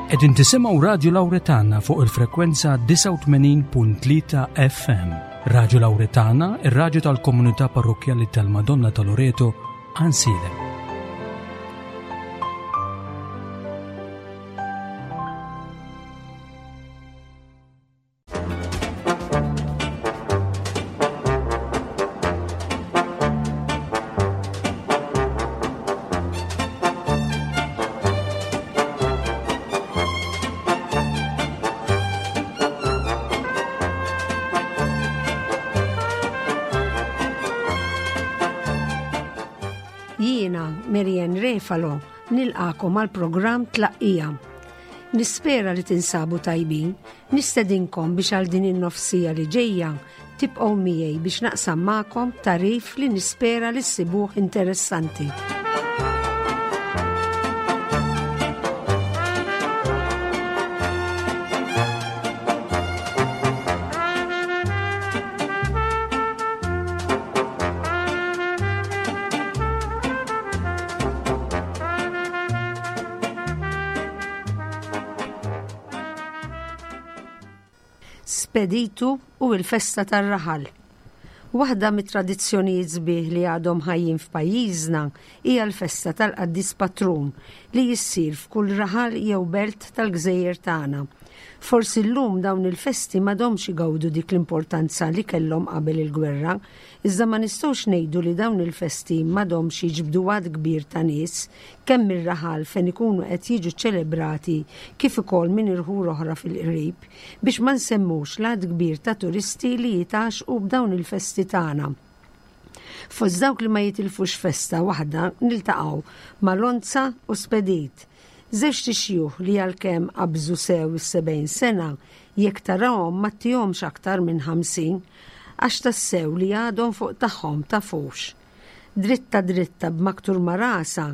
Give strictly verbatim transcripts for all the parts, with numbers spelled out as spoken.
Qegħdin tisimgħu Radju Lawretana fuq il-frekwenza disgħa u tmenin punt tlieta F M. Radju Lawretana, ir-radju tal-Komunità Parrokkjali tal-Madonna ta' Loreto, Għajnsielem. Jiena, Marianne Refalo, nilqagħkom għal programm Tlaqqija. Nispera li tinsabu tajbin, nistedinkom biex għal din in-nofs siegħa li ġejja tibqgħu miegħi biex naqsam magħkom tagħrif li nispera li ssibuh interessanti. Speditu u il-festa tar-raħal. Waħda mit-tradizzjonijiet sbieħ li għadhom ħajjin f'pajjiżna hija l-festa tal-Qaddis Patrun li jissir f'kull raħal jew belt tal-gżejjer tagħna. Forsi llum dawn il-festi m'għadhomx igawdu dik l-importanza li kellhom qabel il-gwerra, iżda ma nistgħux ngħidu li dawn il-festi m'għadhomx jiġbdu għadd kbir ta' nies kemm mir-raħal fejn ikunu qed jiġu ċelebrati kif ukoll minn irħula oħra fil-qrib, biex ma nsemmux l-għadd kbir ta' turisti li jitgħaxqu b'dawn il-festi tagħna. Fost dawk li ma jitilfux festa waħda niltaqgħu ma' Lonza u Spedit. Żewġt ixjuħ li għalkemm qabżu sew is-sebgħin sena, jekk tarahom ma ttihomx aktar minn ħamsin, għax tassew li għadhom fuq tagħhom tafux. Dritta dritta b'maktur ma' rasha,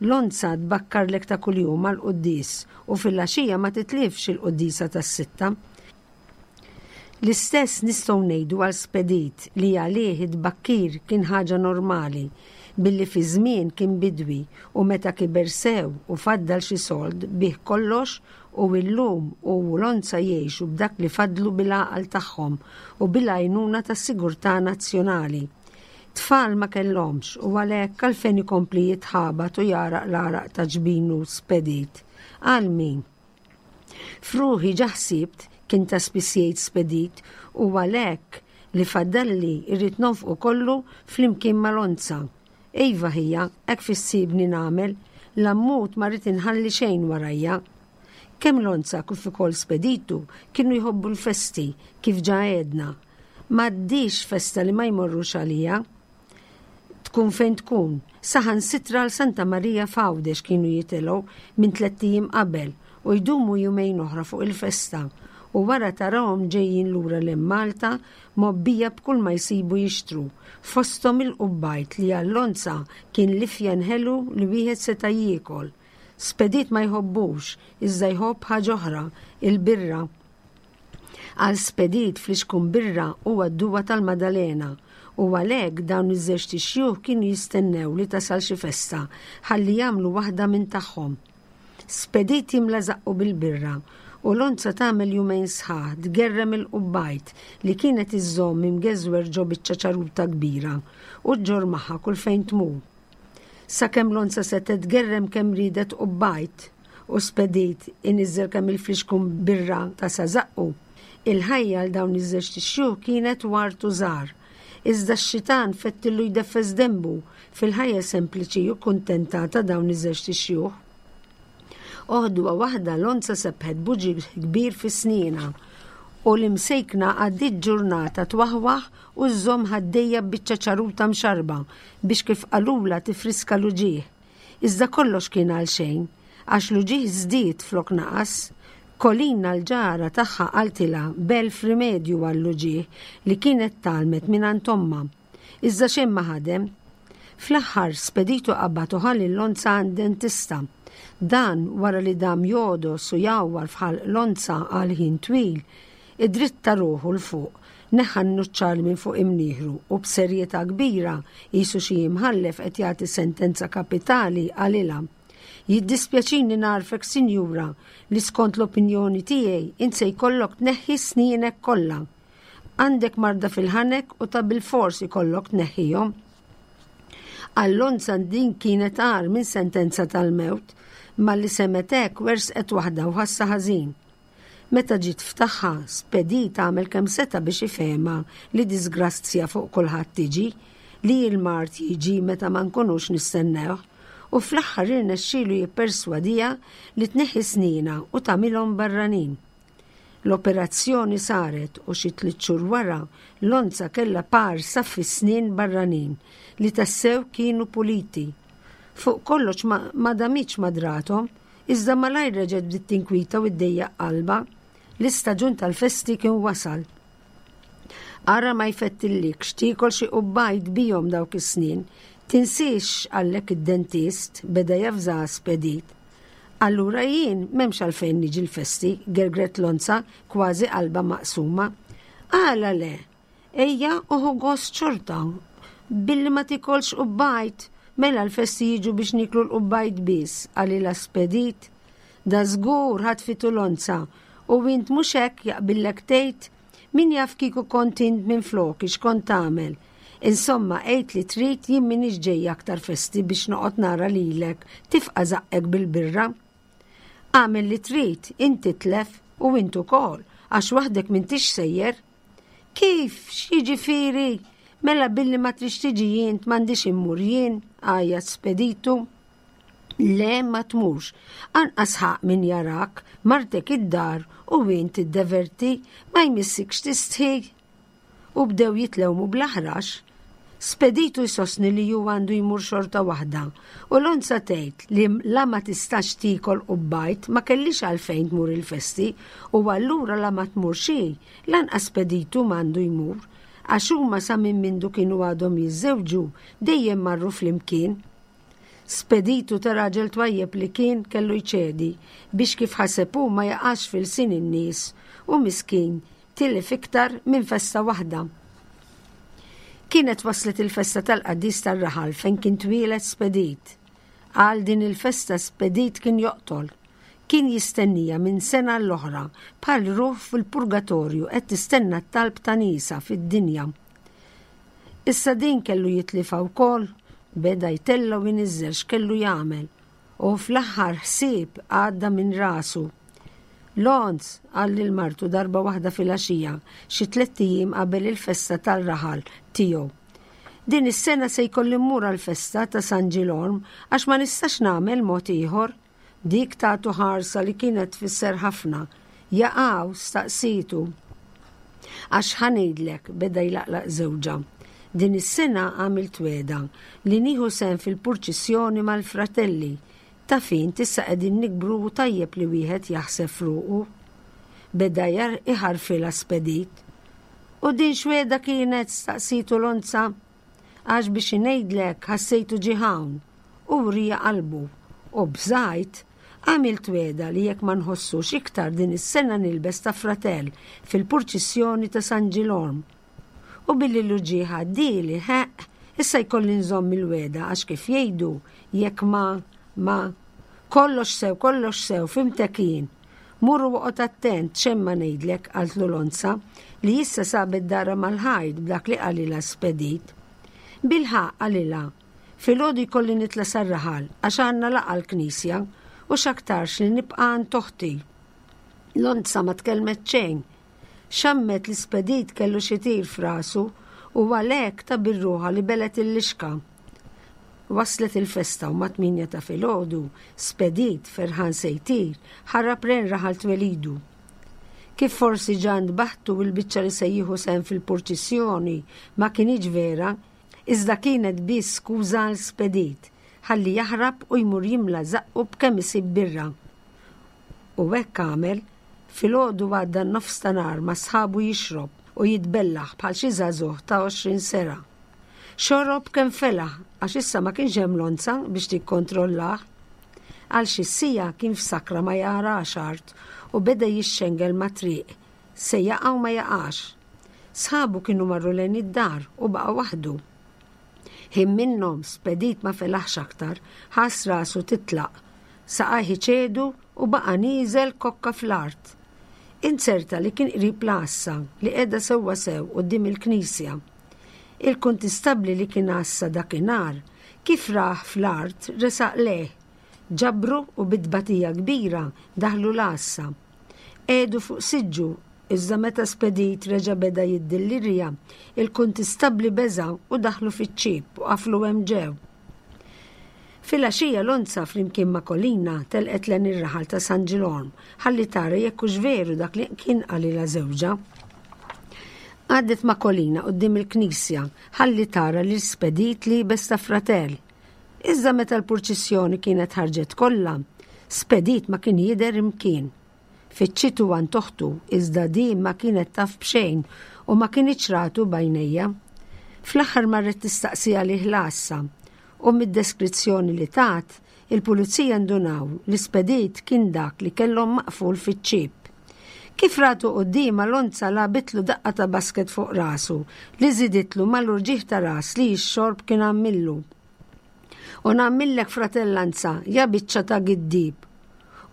Lonza tbakkarlek ta' kuljum għal-quddies u fil-għaxija ma titlifx il-quddisa tas-sitta. L-istess nistgħu ngħidu għal Spedit li għalih id-bakkir kien ħaġa normali billi fi żmien kien bidwi u meta kiber sew u faddal xi sold biegħ kollox u illum hu u Lonza jgħixu b'dak li fadlu bil-għaqal tagħhom u bil-għajnuna tas-Sigurtà Nazzjonali. Tfal ma kellhomx u għalhekk għalfejn ikompli jitħabat u jagħraq l-għaraq ta' ġbinu Spedit. Għal min? F'ruħi ġa ħsibt, kien ta' spiss jgħid Spedit, u għalhekk li faddalli irrid nonfqu kollu flimkien ma' Lonza. Iva ħija, hekk fissibni nagħmel, la mmut ma rrid inħalli xejn warajja. Kemm Lonza kif ukoll Speditu kienu jħobbu l-festi kif ġa għedna. M'għaddix festa li ma jmorrux għalija. Tkun fejn tkun, saħansitra għal Santa Marija f'Għawdex kienu jitilgħu minn tlett ijiem qabel u jdumu jumejn oħra fuq il-festa u wara tarahom ġejjin lura lil Malta mgħobbija b'kull ma jsibu jixtru, fosthom il-qubbajt li għal Lonza kien l-ifjen ħelu li wieħed seta' jiekol. Spedit ma jħobbux, iżda jħobb ħaġa oħra, il-birra. Għal Spedit flixkun birra huwa d-duwa tal-Madalena u għalhekk dawn iż-żewġt ixjuħ kienu jistennew li tasal xi festa ħalli jagħmlu waħda minn tagħhom. Spedit jimla żaqqu bil-birra u Lonza tagħmel jumejn sħaħ tgerrem il-qubbajt li kienet iżżomm imgeżwer ġo biċċa ċaruta kbira u ġġorr magħha kull fejn tmur. Sakemm Lonza setgħet tgerrem kemm ridet qubbajt u Spedit iniżżel kemm il-flixkun birra ta' sa żaqqu. Il-ħajja għal dawn iż-żewġt ixjuħ kienet ward u żahar. Iżda x-xitan fettillu jdeffes denbu fil-ħajja sempliċi u kuntenta ta' dawn iż-żewġt ixjuħ. Għodwa waħda Lonza sebħet b'uġigħ kbir fi snienha u l-imsejkna għaddiet ġurnata twaħwaħ u żżomm ħaddejha biċċa ċaruta mxarba biex kif qalulha tifriska l-uġigħ. Iżda kollox kien għal xejn, għax l-uġigħ żdied flok naqas. Kolina l-ġara tagħha qaltilha b'elf rimedju għall-uġigħ li kienet tgħallmet minn ommha. Iżda xejn ma ħadem. Fl-aħħar Speditu qabad u ħa lil Lonza għand dentista. Dan wara li dam jogħdos u jgħawwar f'ħalq Lonza għal ħin twil, iddritta ruħu 'l fuq, neħħa n-nuċċali minn fuq imnieħru u b'serjetà kbira qisu xi imħallef qed jagħti sentenza kapitali qalilha. Jiddispjaċini ngħarrfek, sinjura, li skont l-opinjoni tiegħi int se jkollok tneħħi snienek kollha. Għandek marda fil-ħanek u ta' bilfors ikollok tneħħihom. Għal Lonza din kienet agħar minn sentenza tal-mewt, malli semgħet hekk werżqet waħda u ħassa ħażin. Meta ġiet f'tagħha, Spedit għamel kemm seta' biex ifehemha li disgrazzja fuq kulħadd tiġi, li l-mard jiġi meta ma nkunux nistennewh, u fl-aħħar irnexxielu jipperswadiha li tneħħi snienha u tagħmilhom barranin. L-operazzjoni saret u xi tliet xhur wara Lonza kellha par saffi snien barranin li tassew kienu puliti. Fuq kollox ma, ma damitx ma drathom, iżda malajr reġgħet bdiet tinkwita u ddejjaq qalbha. L-istaġun tal-festi kien wasal. Ara ma jfettillikx tiekol xi qubbajt bihom dawk is-snien. Tinsiex x'qallek id-dentist, beda javżaha Spedit. Allura jien m'hemmx għalfejn niġi l-festi, gergret Lonza kważi qalba maqsuma. Għala le, ejja u ħu gost xorta, billi ma tikolx qubbajt, mela l-festi jiġu biex niklu l-qubbajt biss, qalilha Spedit. Da żgur ħatfitu Lonza, u int mhux hekk jaqbillek tgħid, min jaf kieku kont int minn floki x'kont tagħmel. Insomma, għid li trid jien m'iniex ġejja aktar festi biex noqgħod nara lilek tifqa' żaqqek bil-birra. Agħmel li trid, int titlef u int ukoll, għax waħdek m'intix sejjer. Kif, x'jiġifieri? Mela billi ma trix tiġi int m'għandix immur jien, għajjat Speditu. Le ma tmurx, anqas ħaqq min jarak, martek id-dar u int tiddeverti, ma jmissikx tistħi. U bdew jitlewmu bl-aħrax. Speditu jsostni li ju għandu jmur xorta waħda u Lonza tgħid li la ma tistax tiekol qubbajt ma kellix għalfejn tmur il-festi u allura la ma tmur xi, lanqas Speditu m'għandu jmur, għax huma sa minn mindu kienu għadhom jiżżewġu dejjem marru flimkien. Speditu ta' raġel twajjeb li kien kellu jċedi biex kif ħaseb hu ma jaqax fil-sin in-nies u miskin tilef iktar minn festa waħda. Kienet waslet il-festa tal-qaddis tar-raħal fejn kien twieled Spedit. Għal din il-festa Spedit kien joqtol. Kien jistennija minn sena l-oħra bħal ruħ fil-purgatorju qed tistenna t-talb ta' nisa fid-dinja. Issa din kellu jitlifa wkoll, beda jtella' u jniżżel x'kellu jagħmel u fl-aħħar ħsieb għadda minn rasu. Lonz, qal lil martu darba waħda filgħaxija, xi tlett ijiem qabel il-festa tal-raħal tiegħu. Din is-sena se jkolli mmur għall-festa ta' San Ġilorm għax ma nistax nagħmel mod ieħor. Dik tagħtu ħarsa li kienet tfisser ħafna. Jaqaw staqsitu. Għax ħa ngħidlek, beda jlaqlaq żewġha. Din is-sena għamilt wegħda li nieħu sehem fil-purċissjoni mal-fratelli. Ta' fin tissa qegħdin nikbru u tajjeb li wieħed jaħseb f'ruqu. Beda jar iħarfilha Spedit. U din x'wegħda kienet staqsitu Lonza? Għax biex ngħidlek ħassejtu ġie hawn u wrija qalbu. U bżajt għamilt wegħda li jekk ma nħossux iktar din is-sena nilbes ta' fratell fil-purċissjoni ta' San Ġilorm. U billi l-uġigħ għaddieli, ħeq, issa jkolli nżomm il-wegħda għax kif jgħidu jekk ma ma kollox sew, kollox sew, fhimtek jien. Mur u oqgħod attent x'hemm ma ngħidlek, qaltlu Lonza, li issa sabet dara mal-ħajt b'dak li qalilha Spedit. Bilħaqq qalilha, filgħodu jkolli nitla' sar-raħal għax għandna laqgħa l-knisja u x'aktarx li nibqa' għand oħti. Lonza ma tkellmet xejn. Xammet li Spedit kellu xi tir f'rasu u għalhekk ta' birruħa li belet il-lixka. Waslet il-festa u mat-tmienja ta' filgħodu, Spedit ferħan se jtir, ħarab lejn raħal twelidu. Kif forsi ġa ntbaħtu il-biċċa li se jieħu sehem fil-purċissjoni ma kinitx vera, iżda kienet biss skuża għal Spedit, ħalli jaħrab u jmur jimla żaqqu b'kemm isib birra. U hekk għamel, filgħodu għadda n-nofs ta' nhar ma' sħabu jixrob u jitbellaħ bħal xi żagħżugħ ta' għoxrin sena. Xorob kemm felaħ għax issa ma kienx hemm Lonza biex tikkontrollah. Għal xi siegħa kien f'sakra ma jarax art u beda jixxengel ma' triq, se jaqa' u ma jaqax. Sħabu kienu marru lejn id-dar u baqa' waħdu. Ħin minnhom Spedit ma felaħx aktar, ħass rasu titlaq. Saqajh iċedu u baqa' nieżel kokka fl-art. Inzerta li kien qrib l-għassa li qiegħda sewwa sew quddiem il-knisja. Il-kuntistabbli li kien għassa dakinhar kif rah fl-art resaq lejh, ġabru u bi tbatija kbira daħlu l-għassa. Qiegħdu fuq siġġu, iżda meta Spedit reġa' beda jiddillirja, il-kuntistabbli beża' u daħlu fiċ-ċieb u qaflu hemm ġew. Filgħaxija Lonza flimkien ma' Kolina telqet lejn ir-raħal ta' San Ġilorm ħalli tara jekk hux veru dak li kien qalilha żewġha. Għaddet ma' Kolina quddiem il-knisja ħalli tara lil Spedit liebes ta' fratell. Iżda meta l-purċissjoni kienet ħarġet kollha, Spedit ma kien jidher imkien. Fittxitu għand oħtu iżda din ma kienet taf b'xejn u ma kinitx ratu b'għajnejha. Fl-aħħar marret tistaqsi għalih l-għassa u mid-deskrizzjoni li tat, il-pulizija ndunaw li Spedit kien dak li kellhom maqful fiċ-ċieb. Kif ratu quddiemha Lonza lagħbitlu daqqa ta' basket fuq rasu li żiditlu mal-urġieħ ta' ras li x-xorb kien għamillu. U nagħmillek fratellanza, ja biċċa ta' giddib.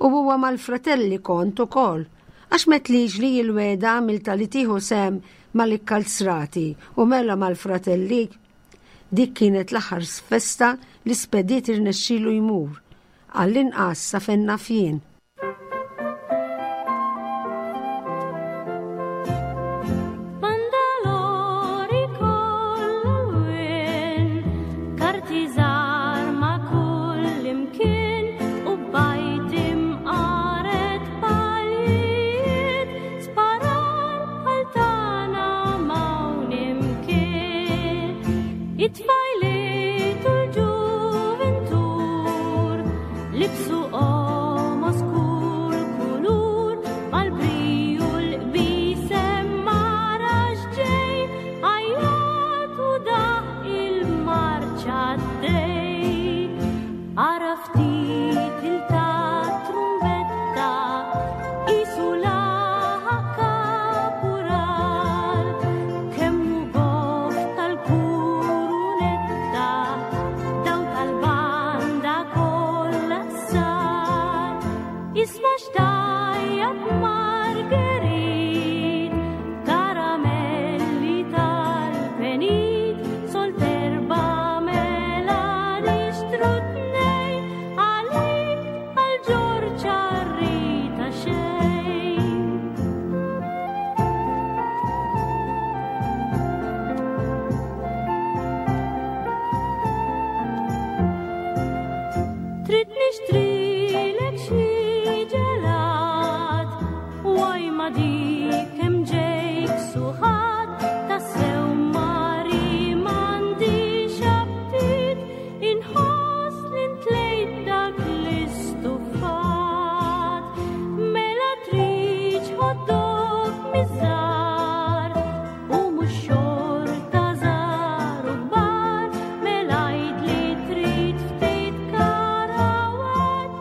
U huwa mal-fratelli kont ukoll, għax m'għedtlix li l-wegħda għamilta li tieħu sehem mal-ikkalzrati u mela mal-fratelli. Dik kienet l-aħħar festa li Spedit irnexxielu jmur, għall-inqas sa fejn naf jien. Bandalori kollha karti żgħar ma' kull imkien u bajt imqaret paljiet, sparar bħal tagħna m'hawn imkien. It-tfajliet u l-ġuventur libsu qomos kull kulur, mal-briju l-qbisem marax ġej, għajjat u daħ il-marċa d-dej. Ara ftit il-ta' trumbetta, qisu laħaq kapural, kemm hu goff tal-kurunetta, daw tal-banda kollha sar. Isma' x'tajjab Marguerite, karamelli tal-penit, solt erba' mela nixtru tnejn, għalik għal Ġorġ Arrita xejn. Trid nixtrilek xi ġelat, waj ma dik hemm ġejk suħat, tassew mari m'għandix aptit, inħoss li ntlejt dak l-istufat. Mela tridx hot dog miż-żgħar, u mhux xorta żgħar u kbar, mela għid li trid ftit karawett,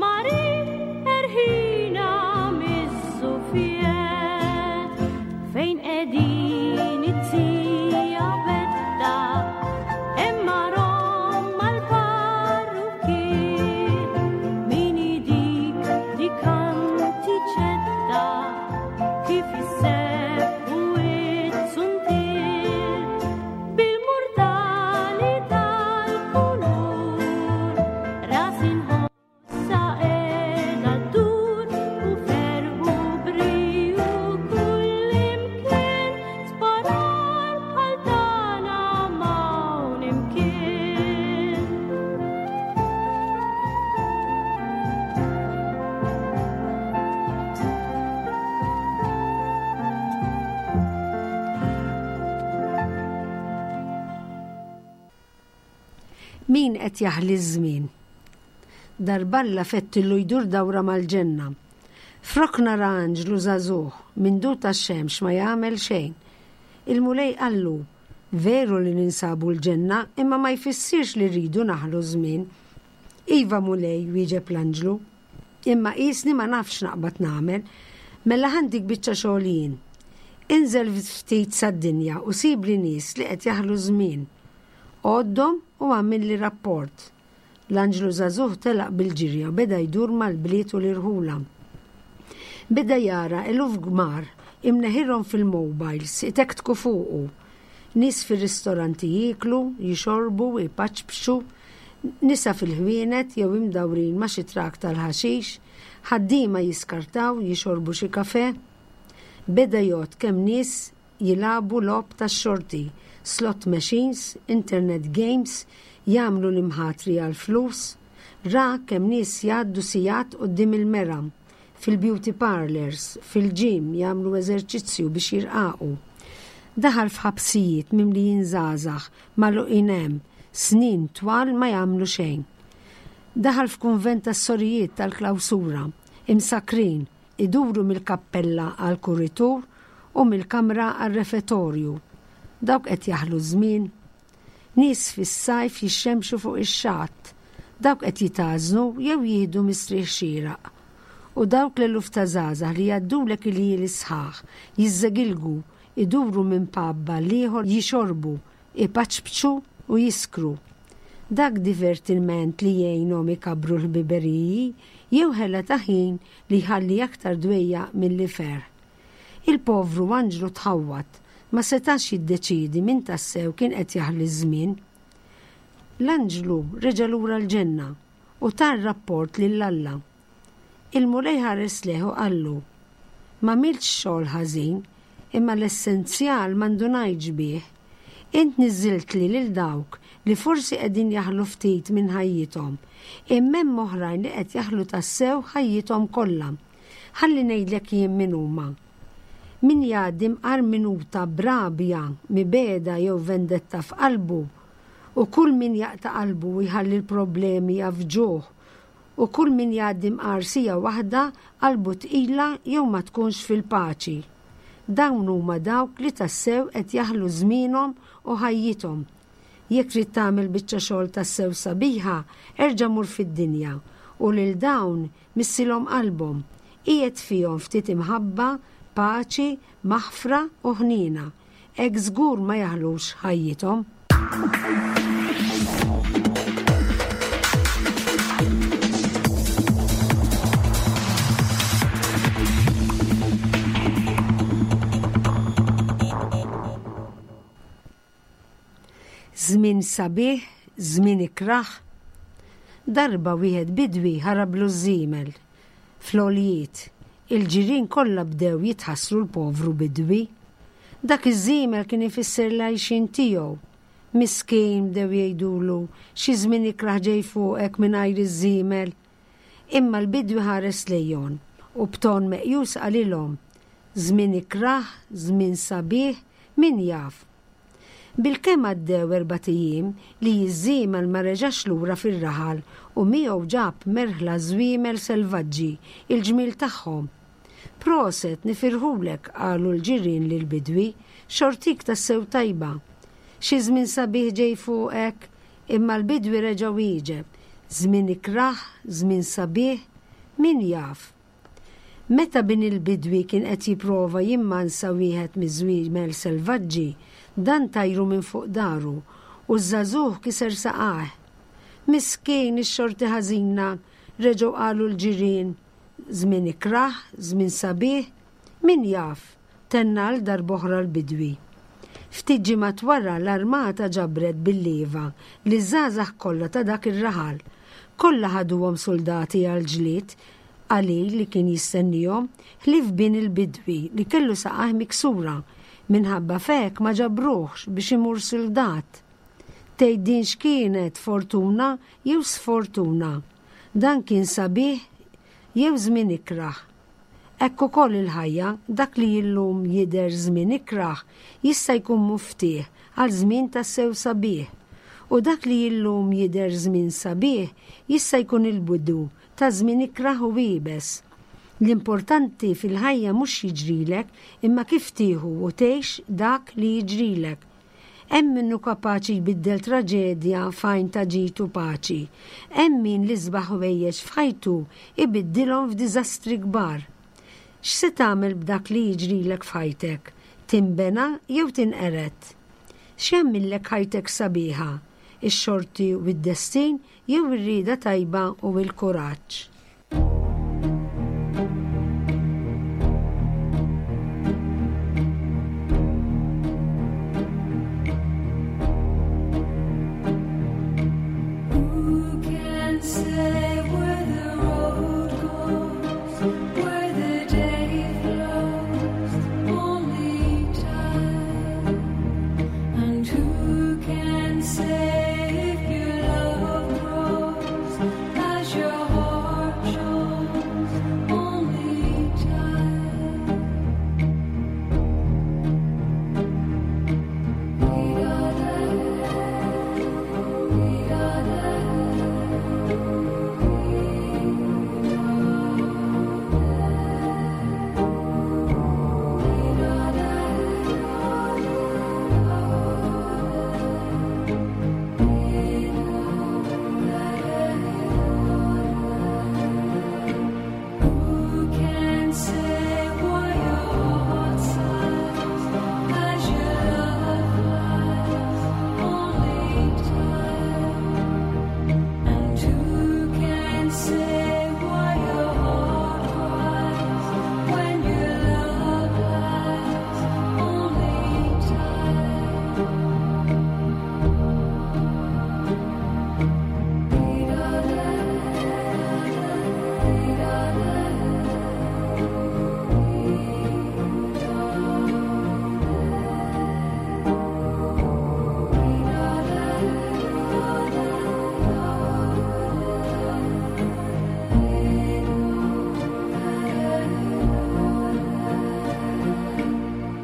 mari erħina miż-żufjett. Fejn qegħdin it-tija Betta, hemm rom mal-parrukkier, min dik dik antiċetta, kif isseħħu it-suntier, bil-murtali tal-kulur, ras inħossa qiegħda ddur, u ferħu briju kull imkien, sparar bħal tagħna m'hawn imkien. Min qed jaħli ż-żmien? Darballa fettillu jdur dawra mal-ġenna. Frok nara anġlu żagħżugħ minn dur tax-xemx ma jagħmel xejn. Il-Mulej qallu, veru li ninsabu l-ġenna, imma ma jfissirx li rridu naħlu żmien. Iva Mulej, wieġeb l-anġlu, imma qisni ma nafx naqbad nagħmel, mela ħandik biċċa xogħol jien. Inżel ftit sad-dinja u sibli nies li qed jaħlu żmien. Għoddhom u għamilli rapport. L-anġlu żagħżugħ telaq bil-ġirja u beda jdur mal-bliet u l-irħula. Beda jara eluf kbar imneħirhom fil-mobiles itektku fuqu. Nies fir-ristoranti jieklu, jixorbu, ipaċpċu, nisa fil-ħwienet jew imdawrin ma' xi trak tal-ħaxix, ħaddiema jiskartaw, jixorbu xi kafè. Beda jgħodd kemm nies jilagħbu logħob tax-xorti, slot machines, internet games, jagħmlu l-imħatri għall-flus. Ra kemm nies jgħaddu sigħat quddiem il-mera, fil-beauty parlors, fil-gym jagħmlu eżerċizzju biex jirqaqu. Daħal f'ħabsijiet mimlijin żgħażagħ magħluqin hemm, snin twal ma jagħmlu xejn. Daħal f'kunvent tas-sorijiet tal-klawsura, imsakrin, iduru mill-kappella għal kuritur u mill-kamra għal refettorju. Dawk qed jaħlu żmien. Nies fis-sajf jixxemxu fuq ix-xatt. Dawk qed jitgħażnu jew jieħdu mistrieħ xieraq. U dawk l-eluf ta' żgħażagħ li jgħaddulek il-ljieli sħaħ, jiżżegilgu, iduru minn pub għal ieħor jixorbu, ipaċpċu u jiskru. Dak divertiment li jgħinhom ikabbru l-ħbiberiji jew ħela ta' ħin li jħalli aktar dwejjaq milli ferħ. Il-povru anġlu tħawwad, ma setax jiddeċidi min tassew kien qed jaħli ż-żmien. L-anġlu reġa' lura l-ġenna u ta r-rapport lil Alla. Il-Mulej ħares lejh u qallu: M'għamiltx xogħol ħażin, imma l-essenzjal m'indunajtx bih. Int niżżiltli lil dawk li forsi qegħdin jaħlu ftit minn ħajjithom, imma hemm oħrajn li qed jaħlu tassew ħajjithom kollha. Ħalli ngħidlek jien min huma. Min jgħaddi mqar minuta b'rabja, mibegħda jew vendetta f'qalbu, u kull min jaqta' qalbu u jħalli l-problemi jafġuh, u kull min jgħaddi mqar siegħa waħda qalbu tqila jew ma tkunx fil-paċi. Dawn huma dawk li tassew qed jaħlu żmienhom u ħajjithom. Jekk trid tagħmel biċċa xogħol tassew sabiħa, erġa' mur fid-dinja u lil dawn missilhom qalbhom. Qiegħed fihom ftit imħabba, paċi, maħfra u ħniena. Hekk żgur ma jaħlux ħajjithom. Żmien sabiħ, żmien ikrah. Darba wieħed bidwi ħarablu ż-żiemel fl-għoljiet. Il-ġirien kollha bdew jitħassru l-povru bidwi. Dak iż-żiemel kien ifisser l-għajxien tiegħu. Miskin, bdew jgħidulu, xi żmien ikrah ġej fuqek mingħajr iż-żiemel. Imma l-bidwi ħares lejhom u b'ton meqjus qalilhom: żmien ikrah, żmien sabiħ, min jaf. Bilkemm għaddew erbat ijiem li ż-żiemel ma reġax lura fir-raħal u miegħu ġab merħla żwiemel selvaġġi, il-ġmiel tagħhom. Proset, nifirħulek, qalu l-ġirien lill-bidwi, xortik tassew tajba. Xi żmien sabiħ ġej fuqek, imma l-bidwi reġa' wieġeb, żmien ikrah, żmien sabiħ, min jaf. Meta bin il-bidwi kien qed jipprova jimmansa wieħed miż-żwiemel selvaġġi, dan tajru minn fuq daru u ż-żagħżugħ kiser saqajh. Miskin ix-xorti ħażina, reġgħu qalu l-ġirien, żmien ikrah, żmien sabiħ, min jaf, tenna għal darb'oħra l-bidwi. Ftit ġimgħat wara l-armata ġabret bil-lieva li żgħażagħ kollha ta' dak ir-raħal. Kollha ħaduhom soldati għal ġlied qalil li kien jistennihom, ħlief bin il-bidwi li kellu saqajh miksura, minħabba fek ma ġabruhx biex imur soldat. Tgħid din x'kienet, fortuna jew sfortuna? Dan kien sabiħ jew żmien ikrah? Hekk ukoll il-ħajja, dak li illum jidher żmien ikrah jista' jkun muftieħ għal żmien tassew sabiħ. U dak li illum jidher żmien sabiħ jista' jkun il-bidu ta' żmien ikrah u iebes. L-importanti fil-ħajja mhux jiġrilek, imma kif tieħu u tgħix dak li jiġrilek. Hemm min hu kapaċi jbiddel traġedja f'għajn ta' ġid u paċi. Hemm min l-isbaħ ħwejjeġ f'ħajtu ibiddilhom f'diżastri kbar. X'se tagħmel b'dak li jiġrilek f'ħajtek? Tinbena jew tinqered? X'jagħmillek ħajtek sabiħa? Ix-xorti u d-destin jew ir-rieda tajba u l-kuraġġ? Who can say where the road goes, where the day flows? Only time. And who can say if your love grows as your heart shows? Only time. We are the, we are the. Who can say why your heart sighs as your love flies? Only time. And who can say why your heart cries when your love lies? Only time.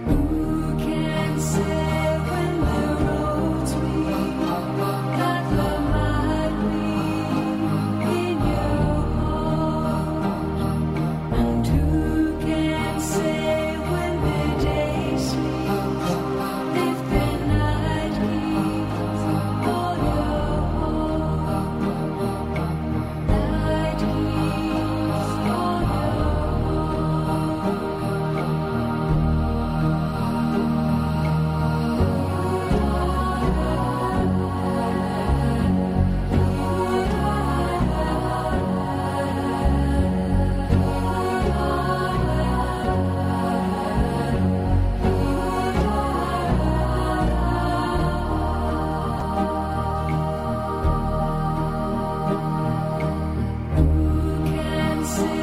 Who can say when the roads meet that love might be in your heart? And who can say when the day sleeps if the night keeps all your hope? Night keeps all your hope. Who can say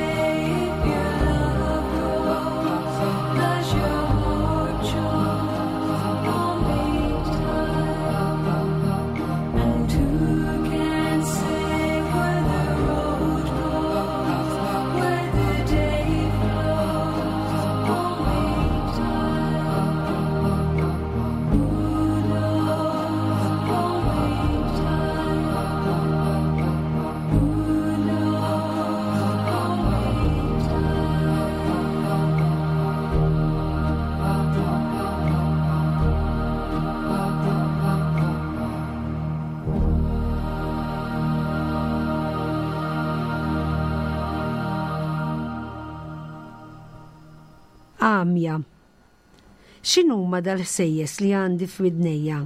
if your love grows as your heart shows? Only time. And who can say where the road goes, where the day flows? Only time. Who knows? Only time. Who knows? Only time. Għamja. X'inhuma dal-ħsejjes li għandi f'widnejja?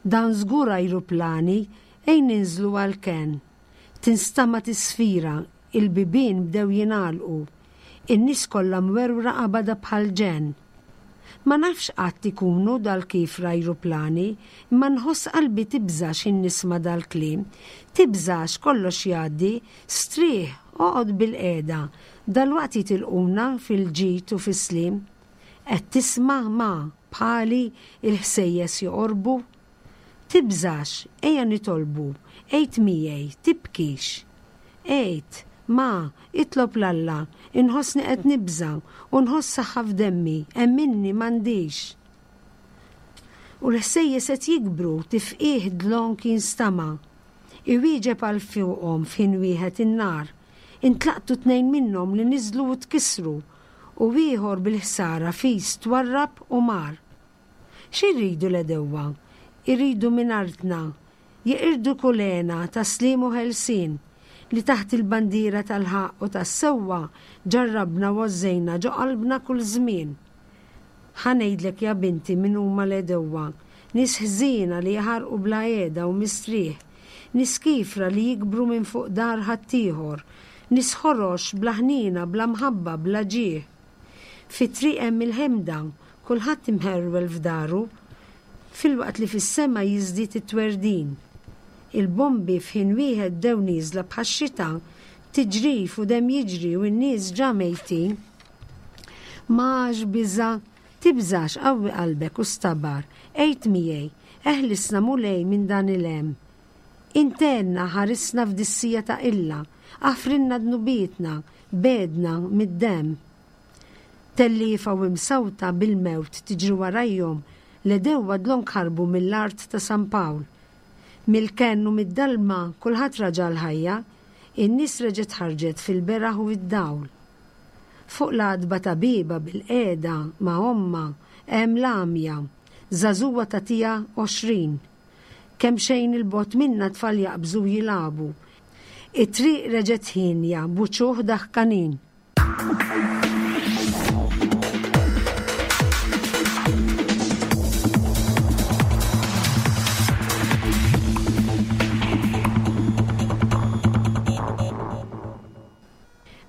Dan żgur ajruplani ejn ninżlu għall-kenn. Tinstama' tisfira, il-bibien bdew jingħalqu. In-nies kollha mwerwra qabada bħal ġenn. Ma nafx qatt ikunu dal-kifra ajruplani, imma nħoss qalbi tibża' x'in nisma' dal-kliem. Tibżax kollox jgħaddi, strieħ, oqgħod bil-qiegħda, dalwaqt jitilquna fil-ġid u fis-sliem. Qed tisma' ma bħali il-ħsejjes joqorbu? Tibżax, ejja nitolbu, għid miegħi, tibkix. Għid, ma, itlob 'l Alla, inħossni qed nibża' u nħoss saħħa f'demmi, emminni m'għandix. U l-ħsejjes qed jikbru, tifqih dlonk jinstama'. Iwieġeb għal fuqhom f'ħin wieħed in-nar. Intlaqtu tnejn minnhom li niżlu u tkissru, u ieħor bil-ħsara fis twarrab u mar. X'iridu l-għedewwa? Iridu minn artna, jeqirdu kull hena ta' sliem u ħelsien, li taħt il-bandiera tal-ħaqq u tas-sewwa ġarrabna u għożżejna ġo qalbna kull żmien. Ħa ngħidlek ja binti min huma l-għedewwa, Nies ħżiena li jaħarqu bla qiegħda u mistrieħ. Nies kifra li jikbru minn fuq dar ħaddieħor. Nies ħorox bla ħniena, bla mħabba, bla ġieħ. Fit-triq hemm il-ħemda, kulħadd imħerwel f'daru, filwaqt li fis-sema jiżdied it-twerdin. Il-bombi f'ħin wieħed bdew nieżla bħax-xita, tiġrif u demm jiġri u n-nies ġa mejtin. M'għax biża', tibżax, qawwi qalbek u stabar, għid miegħi, eħlisna Mulej minn dan il-hemm. Int għinna ħarisna f'dis-siegħa ta' qilla, aħfrilna dnubietna, begħedna mid-demm. Telliefa u imsawta bil-mewt tiġri warajhom, l-għedewwa dlonk ħarbu mill-art ta' San Pawl. Mill-kenn u mid-dalma kulħadd raġa' l-ħajja, in-nies reġgħet ħarġet fil-beraħ u d-dawl. Fuq l-għatba ta' bieba bil-qiegħda ma' ommha hemm l-għamja, żagħżugħa tagħtiha għoxrin. Kemm xejn il-bogħod minna tfal jaqbżu jilagħbu. It-triq reġgħet ħienja b'uċuħ daħkanin.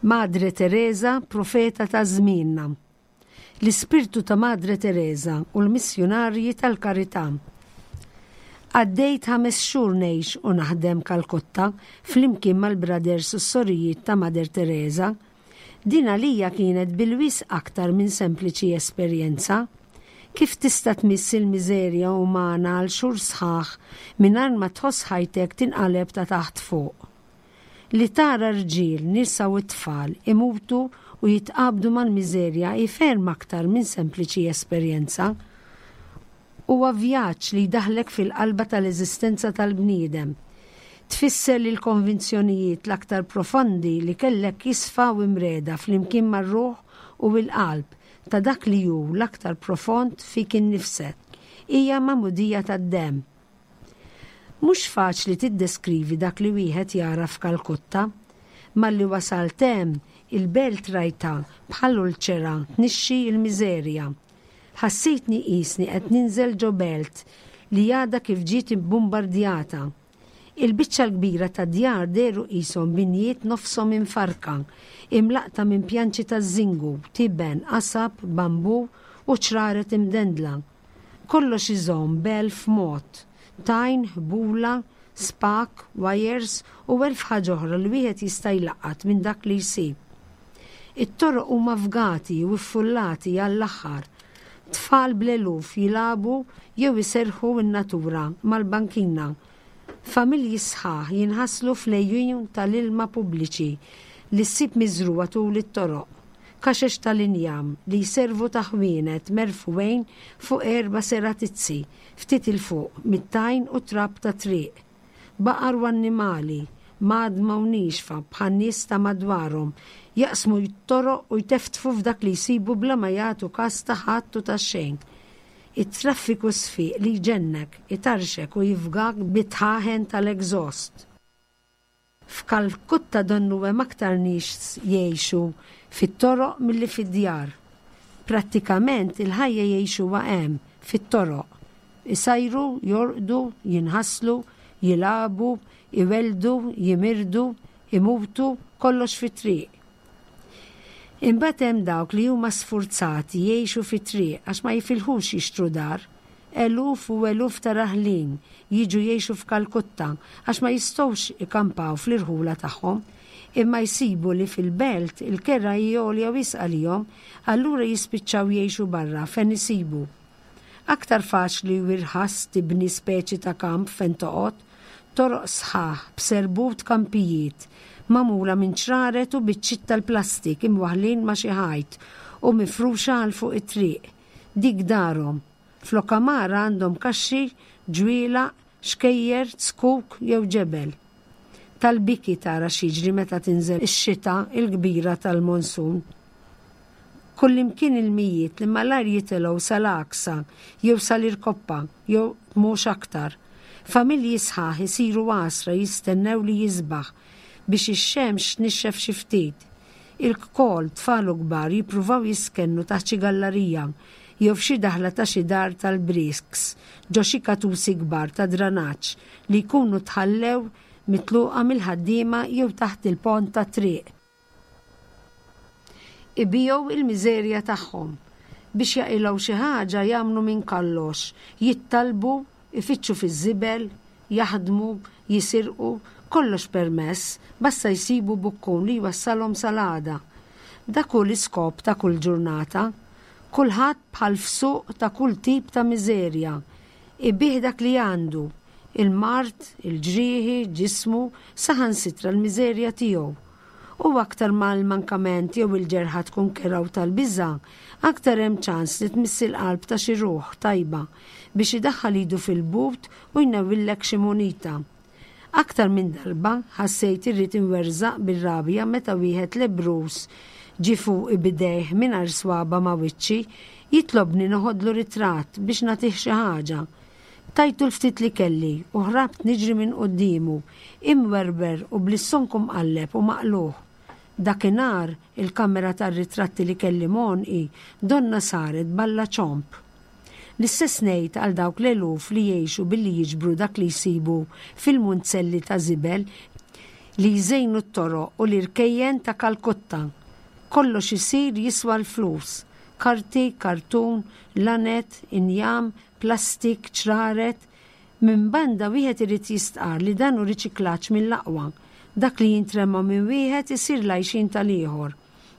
Madre Teresa, profeta ta' żmienna. L-ispirtu ta' Madre Teresa u l-missjunarji tal-karità. Għaddejt ħames xhur ngħix u naħdem Kalkutta flimkien mal-brothers u s-sorijiet ta' Mother Teresa. Din għalija kienet bil-wisq aktar minn sempliċi esperjenza. Kif tista' tmiss il-miżerja umana għal xhur sħaħ mingħajr ma tħoss ħajtek tinqaleb ta' taħt fuq? Li tara rġiel, nisa u tfal imutu u jitqabdu mal-miżerja hi ferm aktar minn sempliċi esperjenza. Huwa vjaġġ li jdaħlek fil-qalba tal-eżistenza tal-bniedem. Tfisser li l-konvinzjonijiet l-aktar profondi li kellek jisfaw imreda flimkien mar-ruħ u l-qalb ta' dak li hu l-aktar profond fik innifsek. Hija magħmudija tad-demm. Mhux faċli tiddeskrivi dak li wieħed jara f'Kalkutta. Malli wasalt hemm, il-belt rajta bħal ulċera tnixxi l-miżerja. Ħassejtni qisni qed ninżel ġo belt li għadha kif ġiet imbombardjata. Il-biċċa l-kbira ta' djar dehru qishom binjiet nofshom infarka, imlaqta minn pjanċi ta' żingu, tiben, qasab, bambu u ċraret imdendla. Kollox iżomm b'elf mod, tajn, ħbula, spak, wires u elf ħaġa oħra li wieħed jista' jlaqqat minn dak li jsib. It-toroq huma fgati u ffullati għall-aħħar. Tfal bl-eluf jilagħbu jew iserħu n-natura mal-bankina. Familji sħaħ jinħaslu fl-għejun tal-ilma pubbliċi li ssib miżrugħa tul it-toroq. Kaxex tal-injam li jservu ta' ħwienet merfuwejn fuq erba' seratizzi ftit il fuq mit-tajn u trab ta' triq. Baqar u annimali, madma u nixfa bħan nies ta' madwarhom, jaqsmu t-toroq u jteftfu f'dak li jsibu bla ma jagħtu kas ta' ħadd u ta' xejn. It-traffiku sfiq li jġennek, itarxek u jifgak bit-tħaħen tal-exhaust. F'Kalkutta donnu hemm aktar nies jgħixu fit-toroq milli fid-djar. Prattikament il-ħajja jgħixuha hemm fit-toroq. Isajru, jorqdu, jinħaslu, jilagħbu, iweldu, jimirdu, imutu, kollox fit-triq. Imbagħad hemm dawk li huma sfurzati jgħixu fit-triq għax ma jifilħux jixtru dar. Eluf u eluf ta' raħlin jiġu jgħixu f'Kalkutta għax ma jistgħux ikampaw fl-irħula tagħhom, imma jsibu li fil-belt il-kera hi għolja wisq għalihom, allura jispiċċaw jgħixu barra fejn isibu. Aktar faċli u irħas tibni speċi ta' kamp fejn toqgħod, toroq sħaħ b'serbut kampijiet magħmula minn ċraret u biċċiet tal-plastik imwaħħlin ma' xi ħajt u mifruxa għal fuq it-triq. Dik darhom. Flok għamara għandhom kaxxi, ġwielaq, xkejjer, zkuk jew ġebel. Tal-biki tara x'jiġri meta tinżel ix-xita il-kbira tal-monsun. Kullimkien il-mijiet li malajr jitilgħu sal-għaksa jew sal-irkoppa jew mhux aktar. Familji sħaħ isiru għasra jistennew li jisbaħ biex ix-xemx tnixxef xi ftit. Il-kol tfal u kbar jippruvaw jiskennu taħt xi gallarija jew f'xi daħla ta' xi dar tal-brisks ġo xi katusi kbar ta' dranaġġ li jkunu tħallew mitluqa mill-ħaddiema jew taħt il-pont tat-triq. Ibigħu il-miżerja tagħhom. Biex jaqilgħu xi ħaġa jagħmlu minn kollox, jittalbu, ifittxu fiż-żibel, jaħdmu, jisirqu, kollox permess, basta jsibu bukkun li jwassalhom sal-għada. Dak hu l-iskop ta' kull ġurnata. Kulħadd bħal f'suq ta' kull tip ta' miżerja. Ibigħ dak li għandu, il-mard, il-ġrieħi, ġismu, saħansitra l-miżerja tiegħu. U aktar ma l-mankament jew il-ġerħa tkun kerha u tal-biża', aktar hemm ċans li tmiss il-qalb ta' xi ruħ tajba biex idaħħal idu fil-but u jnewwillek xi munita. Aktar minn darba ħassejt irrid inwerżaq bir-rabja meta wieħed lebbruż ġie fuqi b'idejh mingħajr swaba ma' wiċċi jitlobni noħodlu ritratt biex nagħtih xi ħaġa. Tajtu l-ftit li kelli u ħrabt niġri minn quddiemu, imwerwer u bl-istonku mqalleb u maqlugħ. Dakinhar il-kamera tar-ritratti li kelli m'għonqi donnha saret balla ċomb. L-istess ngħid għal dawk l-eluf li jgħixu billi jiġbru dak li jsibu fil-munzelli ta' żibel li jżejnu t-toroq u l-irkejjen ta' Kalkutta. Kollox isir jiswa l-flus. Karti, kartun, laned, injam, plastik, ċraret. Minn banda wieħed irid jistqar li dan hu riċiklaġġ mill-aqwa. Dak li jintrema minn wieħed isir l-għajxien tal-ieħor.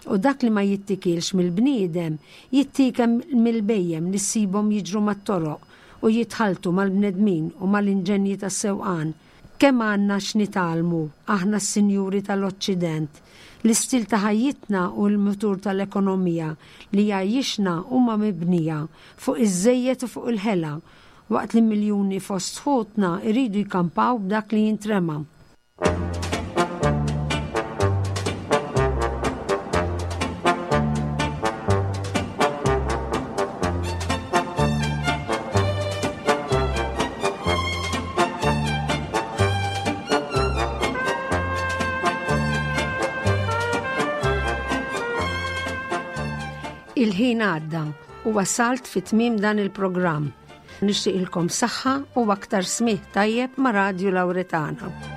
U dak li ma jittikilx mill-bniedem jittiekel mill-bhejjem li ssibhom jiġru mat-toroq u jitħaltu mal-bnedmin u mal-inġenji tas-sewqan. Kemm għandna x'nitgħallmu aħna s-sinjuri tal-Oċċident. L-istil ta' ħajjitna u l-mutur tal-ekonomija li jgħajjixna huma mibnija fuq iż-żejjed u fuq il-ħela, waqt li miljuni fost ħutna jridu jkampaw b'dak li jintrema. Il-ħin għadda u wasalt fi tmiem dan il-programm. Nixtieqilkom saħħa u aktar smigħ tajjeb ma' Radju Lauretana.